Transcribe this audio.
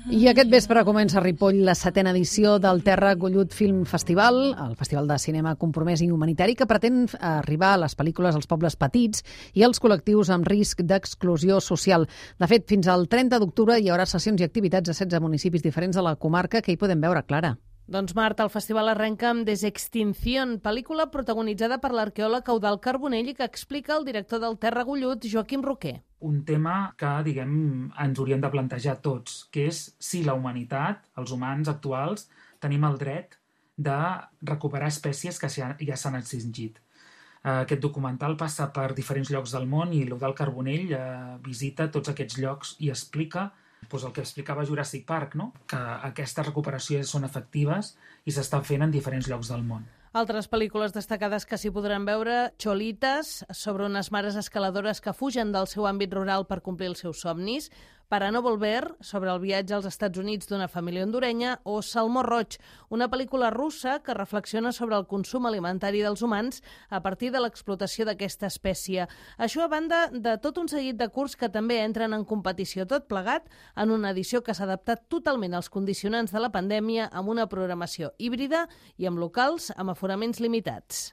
I aquest vespre comença a Ripoll la 7ª edició del Terra Gollut Film Festival, el festival de cinema compromès i humanitari que pretén arribar a les pel·lícules als pobles petits i als col·lectius amb risc d'exclusió social. De fet, fins al 30 d'octubre hi haurà sessions i activitats a 16 municipis diferents de la comarca que hi podem veure, Clara. Doncs, Marta, el festival arrenca amb Desextinción, pel·lícula protagonitzada per l'arqueòleg Eudald Carbonell i que explica el director del Terra Gollut, Joaquim Roquer. Un tema que, ens hauríem de plantejar tots, que és si la humanitat, els humans actuals, tenim el dret de recuperar espècies que ja s'han extingit. Aquest documental passa per diferents llocs del món i l'Eudald Carbonell visita tots aquests llocs i explica el que explicava Jurassic Park, no? Que aquestes recuperacions són efectives i s'estan fent en diferents llocs del món. Altres pel·lícules destacades que s'hi podran veure: Cholitas, sobre unes mares escaladores que fugen del seu àmbit rural per complir els seus somnis; Para no volver, sobre el viatge als Estats Units d'una família hondurenya; o Salmó roig, una pel·lícula russa que reflexiona sobre el consum alimentari dels humans a partir de l'explotació d'aquesta espècie. Això a banda de tot un seguit de curts que també entren en competició, tot plegat en una edició que s'ha adaptat totalment als condicionants de la pandèmia, amb una programació híbrida i amb locals amb aforaments limitats.